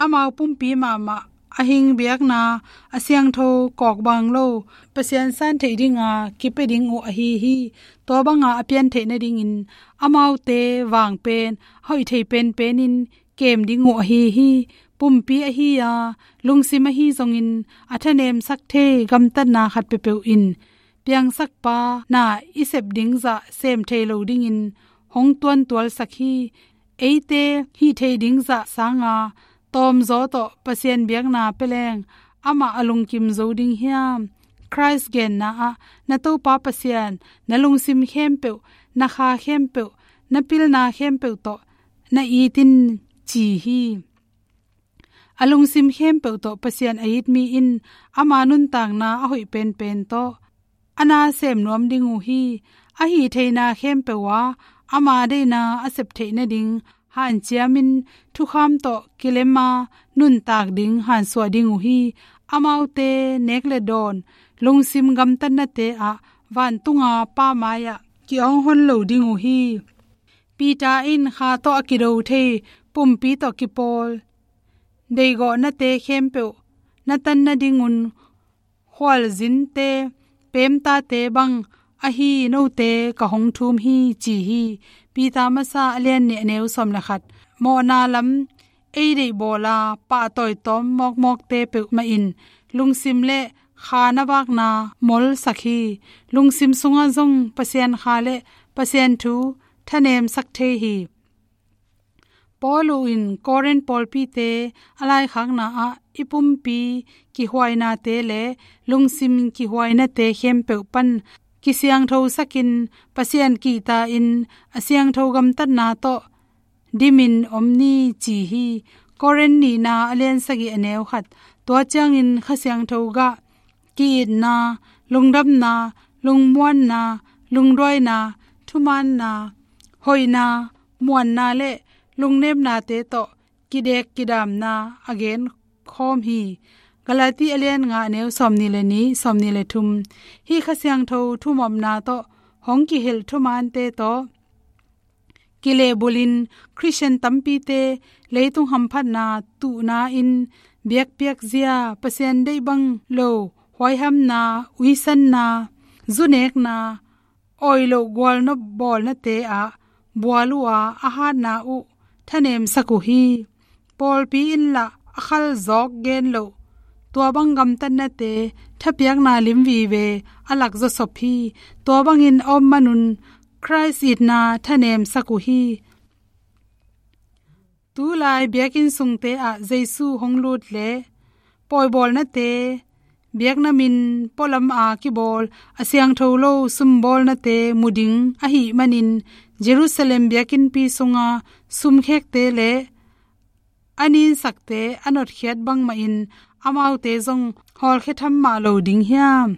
amau pumpi mahmah a hing biakna a siangtho kawkbang lo Pasian san theih dinga kipia ding uh ahi hi. Tua banga a pian theih nadingin amaute vang pen hoih thei penpenin kem ding uh ahi hi. Pumpi ahi a, lungsim ahi zongin a thanemsak thei gamtatna khat peuhpeuh in piangsakpa na i sep ding zah sem thei lo dingin hong tuantualsak hi. Eite hih thei ding zah sanga tawmzaw tawh Pasian biakna pia leng amah a lungkim zo ding hiam? Khrist genna ah, na Topa Pasian na lungsim khempeuh, na kha khempeuh, na pilna khempeuh tawh na it in, ci hi. A lungsim khempeuh tawh Pasian a it mi in ama nuntakna a hoih penpen tawh a na sem nuam ding uh hi. A hih theihna khempeuh ah ama deihna a sep theih nading hanciamin thukham tawh kilema nuntak ding hansuah ding uh hi. Amaute nek le dawn, lungsim gamtatnate ah vantunga Pa mai-ah ki-awng hon lo ding uh hi. Peter in kha tawh a kido thei pumpi tawh kipawl deigawhnate khempeuh na tan nadingun khualzinte, pemtate bang ahi note ka hong thum hi, ci hi. Peter masa a lian nih, a neu sawm le khat. Mawhna lam ei deihbawla pahtawi tawm mawkmawkte peuhmah in lungsim le kha na vakna molsak hi. Lungsim sungah zong Pasian kha le Pasian thu thanemsak thei hi. Paul in Korin pawlpite a laikhakna ah i pumpi kihuainate le lungsim kihuainate khempeuh pan kisiangthosakin Pasian kihta-in a siangtho gamtatna tawh dimin om ni, ci hi. Korin nihna a lian sagih, a neu khat. Tua ciangin Kha Siangtho gah ki-itna, lungdamna, lungmuanna, lungduaina, thumaanna, hoihna, muanna le lungnepnate tawh kidek kidamna a gen khawm hi. Galati a lian nga, a neu sawmnih le nih, sawmnih le thum. Hih Kha Siangtho thumopna tawh hong kihilh thumaante tawh kilehbulhin Khristian tampite leitung hamphatna tuhna in biakpiak zia, Pasian deih bang lo huaihamna, uisanna, zunekna, oi loh gualnop bawlnate ah bual uh a, a hatna uh thanemsak uh hi. Pawlpi in lah a khalzawk gen loh tua bang gamtatnate thapiakna lim vive a lak zawsop hi. Tua bangin a om manun Khrist itna thanemsak uh hi. Tulai biakinn sungte ah Jesu hong lut le pawibawlnate, biakna min pualam a kibawl a siangtho lo sumbawlnate mu ding ahih manin Jerusalem biakinnpi sunga sumkhekte le a ninsakte a notkhiat bangmahin amaute zong hawlkhia tham mah lo ding hiam?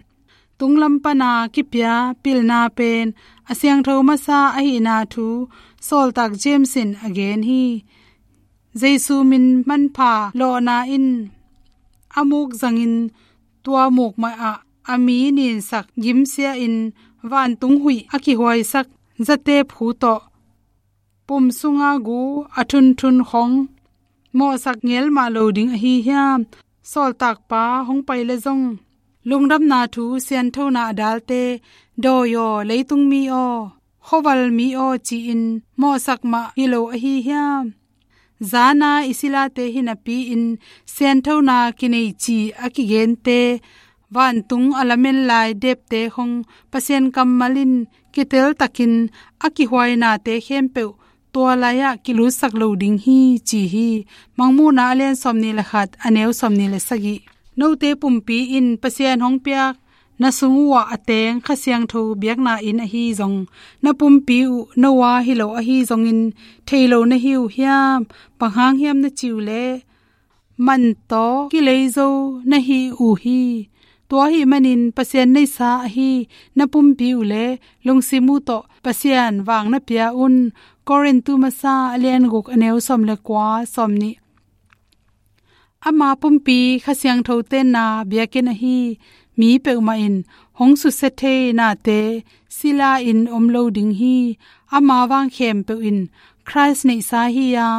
Tunglam pana kipia pilna pen a siangtho masa ahihna thu sawltak James in a gen hi. Jesu min manpha lawhna in a muk zangin tua muk mah ah a mi ninsak gimsia in vantung huih a kihuaisak zatep hu tawh pum sunga gu a thunthun khong mawhsak ngel mah lo ding ahi hiam? Sawltakpa hong pai le zong lungdamna thu sianthona a dalte dawi aw, leitung mi aw, khuaval mi aw ci-in mawhsak mah hi lo ahi hiam? Zana i silate hi napi-in sianthona kinei ci a kigente, vantung a lamen lai depte khong Pasian kammal in kiteltakin a kihuainate khempeuh tua lai-ah kilutsak lo ding hi, ci hi. Mangmuhna a lian sawmnih le khat, a neu sawmnih le sagih. Note pumpi in Pasian hong piak na sung uhah a teng Kha Siangtho biakna inn ahi zong, na pumpi uh no a hi lo ahi zongin thei lo na hi uh hiam? Bang hang hiam na ci uh leh, man tawh kilei zo na hi uh hi. Tua ahih manin Pasian neihsa ahi na pumpi uh le lungsim uh tawh Pasian vang na pia un. Korintu masa a lian guk a neu sawm le kua, sawm nih. Ama pumpi Kha Siangtho tenna biakinn ahi mi peuhmah in hong susia thei nate sila in om lo ding hi. Ama vang khempeuh in Khrist neihsa hi a,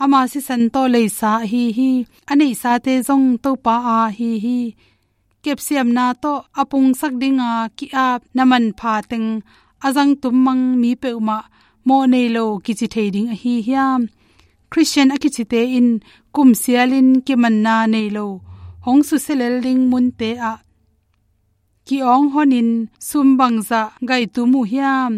ama sisan tawh leisa ahi hi. A neihsate zong Topa a hi hi. Kepsiamna tawh a pungsak dinga ki-ap na manpha teng a zangtum mang mi peuhmah mawh nei lo kici thei ding ahi hiam? Khristian a kicite in kum sialin kimanna nei lo hong susia lel ding munte ah ki-awng honin sum bangzah gaitum uh hiam?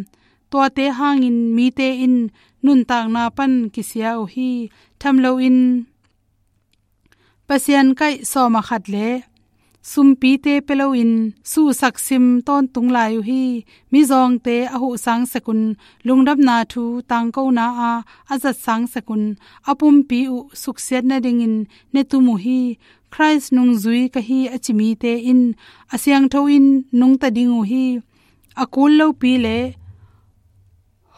Tuate hangin mite in nuntakna pan kisia uh hi. Tham loin Pasian kaih sawm a khat le sumpite pia loin suhsak sim tawntung lai uh hi. Mizawngte a huh sang sekun, lungdamna thu tangkona a a zat sang sekun, a pumpi uh suksiat nadingin ne tum uh hi. Khrist nungzui ka hi a ci mite in a siangtho in nungta ding uh hi. A kul lopi le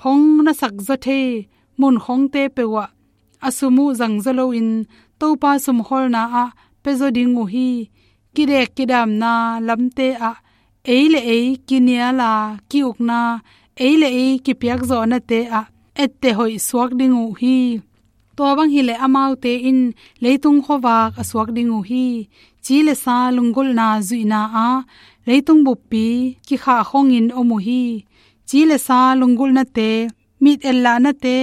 hong na sakzaw thei mun khongte peuhah a sum uh zangzaw loin Topa sumkholna ah pia zaw ding uh hi. Kidek kidamna lamte ah ei le ei kiniala ki-ukna, ei le ei kipiakzawhnate ah etteh hoih suak ding uh hi. Tua bang hileh amaute in leitung khuavak a suak ding uh hi. Ci le sa lunggulhna zuihna ah leitung buppi kikhahkhongin om uh hi. Ci le sa lunggulhnate, mit ellahnate,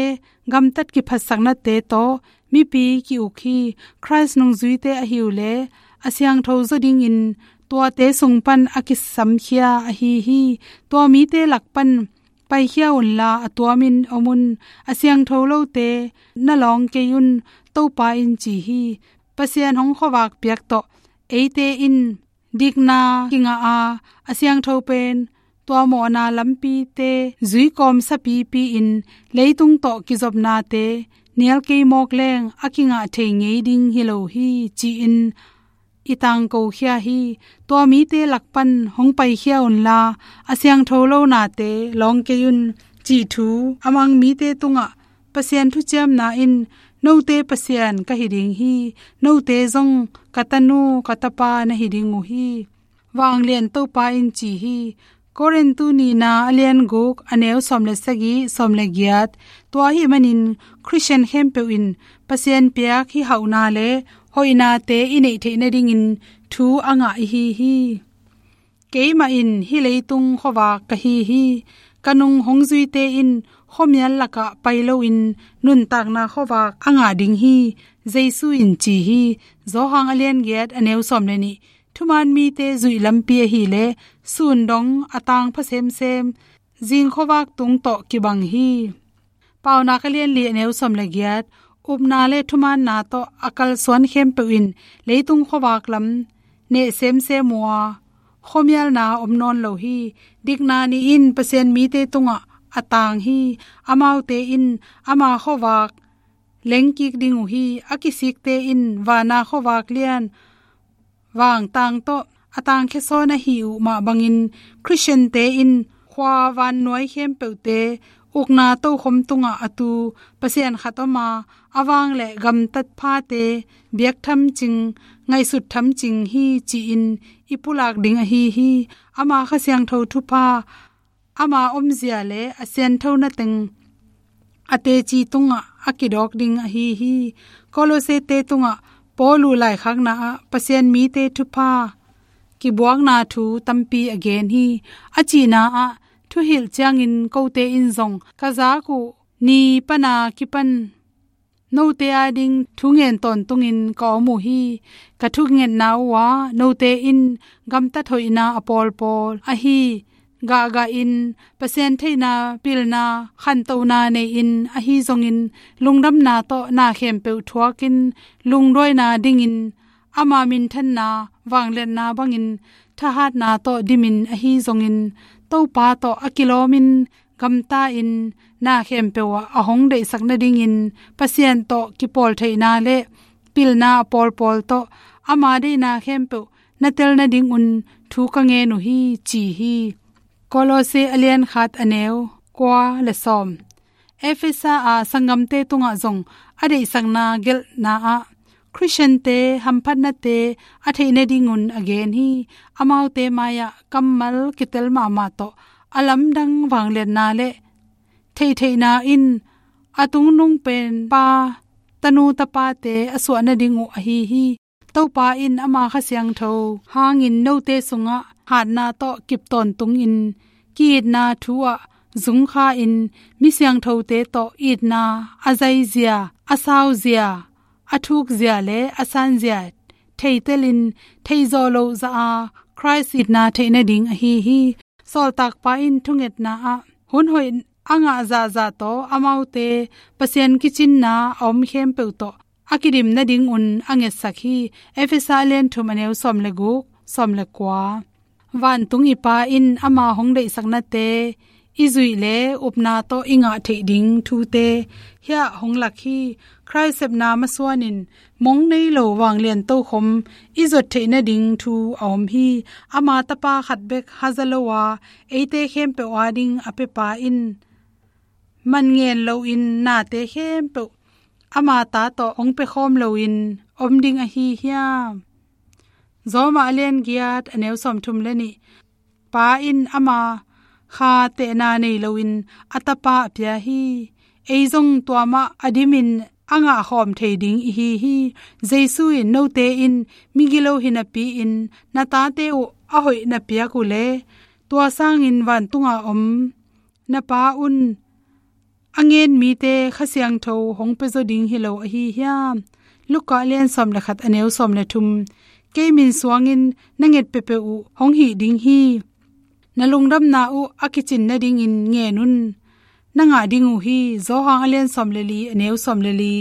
gamtat kiphatsaknate tawh mipi ki-uk hi. Khrist nungzuite ahi uh leh a siangtho zaw dingin tuate sung pan a kisamkhia ahi hi. Tua mite lak pan paikhia unla a tuamin om un. A siangtho lote na lawng kei un, Topa in ci hi. Pasian hong khuavak piak tawh eite in dikna kingah a, a siangtho pen tua mawhna lampite zuikawm sapipi-in leitung tawh kizopnate nial kei mawk leng a kingah thei ngei ding hi lo hi, ci-in i tangkokhia hi. Tua mite lak pan hong paikhia unla a siangtho lo nate lawng kei un, cih thu a mang mite tungah Pasian thuciamna in, note Pasian ka hi ding hi, note zong ka tanu ka tapa na hi ding uh hi. Vanglian Topa in ci hi. Korintu nihna a lian guk a neu sawm le sagih, sawm le giat. Tua ahih manin Khristian khempeuh in Pasian piak hih hauhna le hoihnate i neih theih nadingin thu a ngah i hi hi. Keimah in hih leitung khuavak ka hi hi. Ka nung hong zuite in khuamial lakah pai loin nuntakna khuavak a ngah ding hi, Jesu in ci hi. Johan a lian giat a neu sawm le nih. Thuman mite zuih lampi ahih leh sun dong a tang pha semsem, zing khuavak tung tawh kibang hi. Paunak a lian li a neu sawm le giat. Upna le thumaanna tawh a kalsuan khempeuh in leitung khuavak lam neh semsem uh a, khuamialna om nawn lo hi. Dikna nih in Pasian mite tungah a tang hi. Amaute in ama khuavak lengkik ding uh hi. A kisikte in vana khuavak lian vangtang tawh a tangkhia sawn ahih uh mah bangin, Khristiante in khua vannuai khempeuhte ukna tokhom tungah a tu Pasian khat om a, a vang le gamtat phate biak thamcing, ngaihsut thamcing hi, ci-in i pulak ding ahi hi. Ama Kha Siangtho thupha, ama omzia le a sianthona teng a teci tungah a kidawk ding ahi hi. Kolosete tungah Paul uh laikhakna ah Pasian mite thupha kibuakna thu tampi a gen hi. A cihna ah, thuhilh ciangin kote in zong ka zak uh ni pana kipan note ading thungen tawntungin ka om uh hi. Ka thungetna uhah note in gamtat hoihna a pawlpawl ahi gahgahin Pasian theihna pilna khantohna nei-in, ahi zongin lungdamna tawh na khempeuh thuakin lungduaina dingin ama minthanna, vangliatna bangin thahatna tawh dimin ahi zongin, Topa tawh a kilawmin gamta-in na khempeuh ah a hong deihsak nadingin Pasian tawh kipawl theihna le pilna a pawlpawl tawh ama deihna khempeuh na tel nadingun thu ka ngen uh hi, ci hi. Kolose a lian khat a neu kua le sawm. Efesa a sanggamte tungah zong a deihsakna gelhna ah Khristiante hamphatnate a theih nadingun a gen hi. Amaute mai-ah kammal kitel mahmah tawh a lamdang vangliatna le theitheihna in a tungnung pen pa, tanu tapate a suah nading uh ahi hi. Topa in ama Kha Siangtho hangin note sungah hatna tawh kip tawntungin ki-itna thu ah zungkha-in mi siangthote tawh itna a zaizia, a sauzia, a thukzia le a sanzia theitelin theizawh loh zah a Khrist itna theih nading ahi hi. Sawltakpa in thungetna ah hun hoih a ngah zahzah tawh amaute Pasian kicinna a om khempeuh tawh a kidim nadingun a ngetsak hi. Efesa a lian thum a neu sawm le guk, sawm le kua. Vantung i Pa in ama hong deihsaknate i zuih le upna tawh i ngah theih ding thute hiah hong lak hi. Khrist sepna masuanin mong nei lo vanglian tokhom i zuat theih nading thu a om hi. Ama Tapa khat bek haza lo a eite khempeuh ading a pia Pa in man ngen loin nate khempeuh ama ta tawh hong pia khawm loin om ding ahi hiam? Roma a lian giat a neu sawm thum le nih. Pa in ama Kha tehna nei loin a Tapa a pia hi. Ei zong tua mah a dimin a ngah khawm thei ding i hi hi. Jesu in note in migilo hi napi-in na tate uh a hoih na piak uh le tua sangin vantunga om na Pa un a ngen mite Kha Siangtho hong pia zaw ding hi lo ahi hiam? Luka a lian sawm le khat a neu sawm le thum. Kei min suangin na nget peuhpeuh uh hong hih ding hi. Na lungdamna uh a kicin nadingin ngen un. Na ngah ding uh hi. Johan a lian sawm le li a neu sawm le li,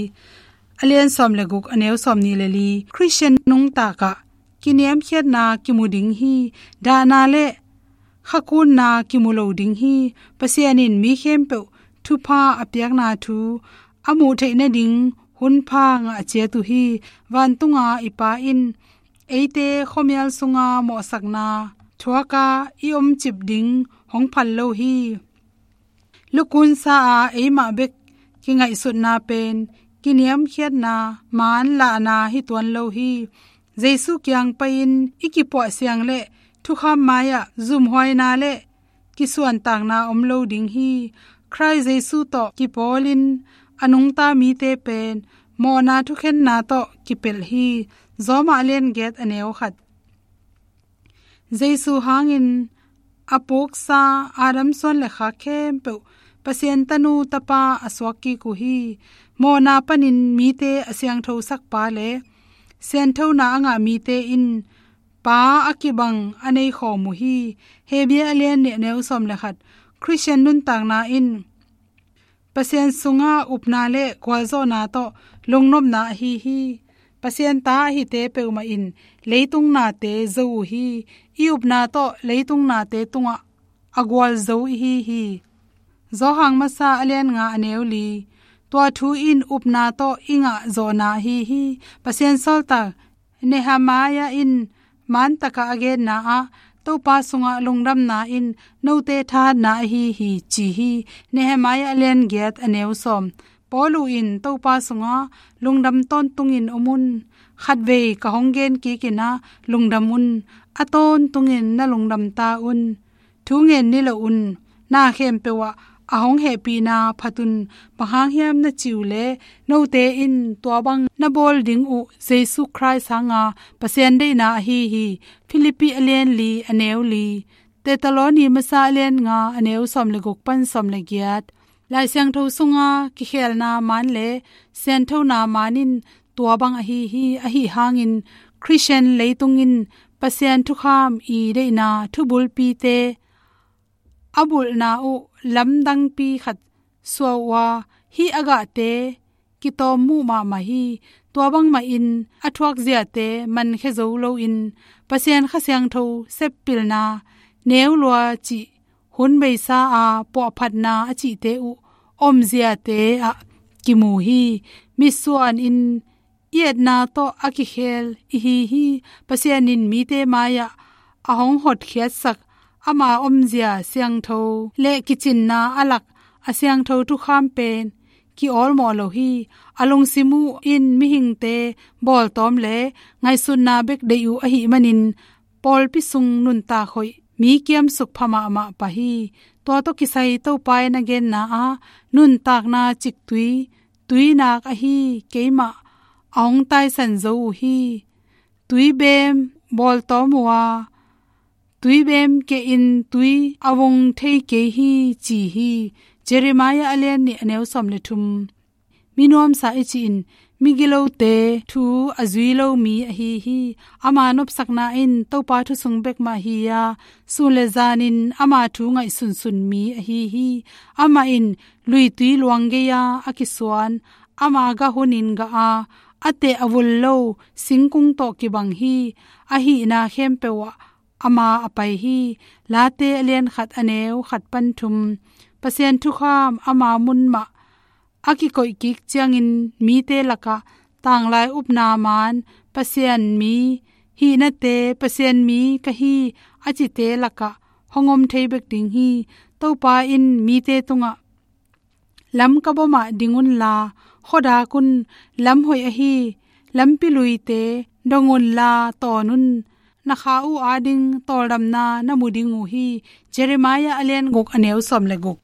a lian sawm le guk a neu sawm nih le li. Khristian nungtak ah kiniamkhiatna kimu ding hi. Dahna le khakunna kimu lo ding hi. Pasian in mi khempeuh thupha a piakna thu a muh theih nading hunpha ngah ciat uh hi. Vantunga i Pa in eite khuamial sunga mawhsakna thuaka i omcip ding hong phal lo hi. Lukunsa a eimah bek kingaihsutna pen kiniamkhiatna maan lahna hi tuan lo hi. Jesu kiang pai-in i kipuahsiang le thukham mai-ah zumhuaina le kisuantakna om lo ding hi. Khrist Jesu tawh kipawlin a nungta mite pen mawhna thukhenna tawh kipelh hi. Roma a lian giat a neu khat. Jesu hangin a puksa Adam suan le khak khempeuh Pasian tanu tapa a suak kik uh hi. Mawhna panin mite a siangthosakpa le sianthona a ngah mite in Pa a kibang a nei khawm uh hi. Hebru a lian nih a neu sawm le khat. Khristian nuntakna in Pasian sunga upna le gualzawhna tawh lungnopna ahi hi. Pasian ta ahite peuhmah in leitung nate zo uh hi. I upna tawh leitung nate tungah a gualzo i hi hi. Johan masa a lian nga a neu li. Tua thu in upna tawh i ngah zawhna ahi hi. Pasian sawltak Nehemiah in maan takah a genna ah Topa sungah lungdamna in note thahatna ahi hi, ci hi. Nehemiah a lian giat a neu sawm. Paulu in Topa sungah lungdam tawntungin om un. Khatvei ka hong gen kik in ah lungdam un. A tawntungin na lungdam ta un. Thu ngen ni lo un. Na khempeuh ah a hong hehpihna phat un. Bang hang hiam na cih uh leh note in tua bang na bawl ding uh Jesu Khrist hanga Pasian deihna ahi hi. Philippi a lian li a neu li. Thessaloni masa a lian nga a neu sawm le guk pan sawm le giat. Lai Siangtho sunga kikhelna maan le sianthona maan in tua bang ahi hi. Ahi hangin Khristian leitung in Pasian thukham i deihna thubulpite a bulhna uh lamdangpi khat suah uh a, hih a gahte kitawm muh mahmah hi. Tua bangmahin a thuak ziate mankhia zo loin Pasian Kha Siangtho seppilna neu lua cih hun beisa a puahphatna a cihte uh om ziate ah kimu hi. Mitsuan in i etna tawh a kikhel i hi hi. Pasian in mite mai-ah a hong hotkhiatsak ama omzia siangtho le kicinna a lak a siangtho thukham pen ki-awlmawh lo hi. A lungsim uh in mihingte bawltawm le ngaihsutna bek deih uh ahih manin pawlpi sung nuntak hoih mi kiamsuk pha mahmah pah hi. Tua tawh kisai Topa in a genna ah nuntakna ciktui, tuinak ahi keimah a hong taisan zo uh hi. Tuibem bawltawm uh a, tuibem kehin tui a vung thei kei hi, ci hi. Jeremiah a lian nih a neu sawm le thum. Minuamsa i cihin migilote thu a zui lo mi ahi hi. Ama nopsakna in Topa thu sung bekmah hi a, sun le zanin ama thu ngaihsunsun mi ahi hi. Amah in luitui luang gei-a a kisuan, ama gah hunin gah a, a teh a vul lo singkung tawh kibang hi. A hihna khempeuh ah ama a pai hi. Late a lian khat a neu khat pan thum. Pasian thukham ama mun mah a kikoih kik ciangin mite lakah tanglai upna man Pasian mi, hihnate Pasian mi ka hi a cite lakah hong om thei bek ding hi. Topa in mite tungah lam ka bawmah ding unla, khuadak un, lam hoih ahi lampi luite dong unla tawn un, na kha uh ading tawldamna na mu ding uh hi. Jeremiah a lian guk a neu sawm le guk.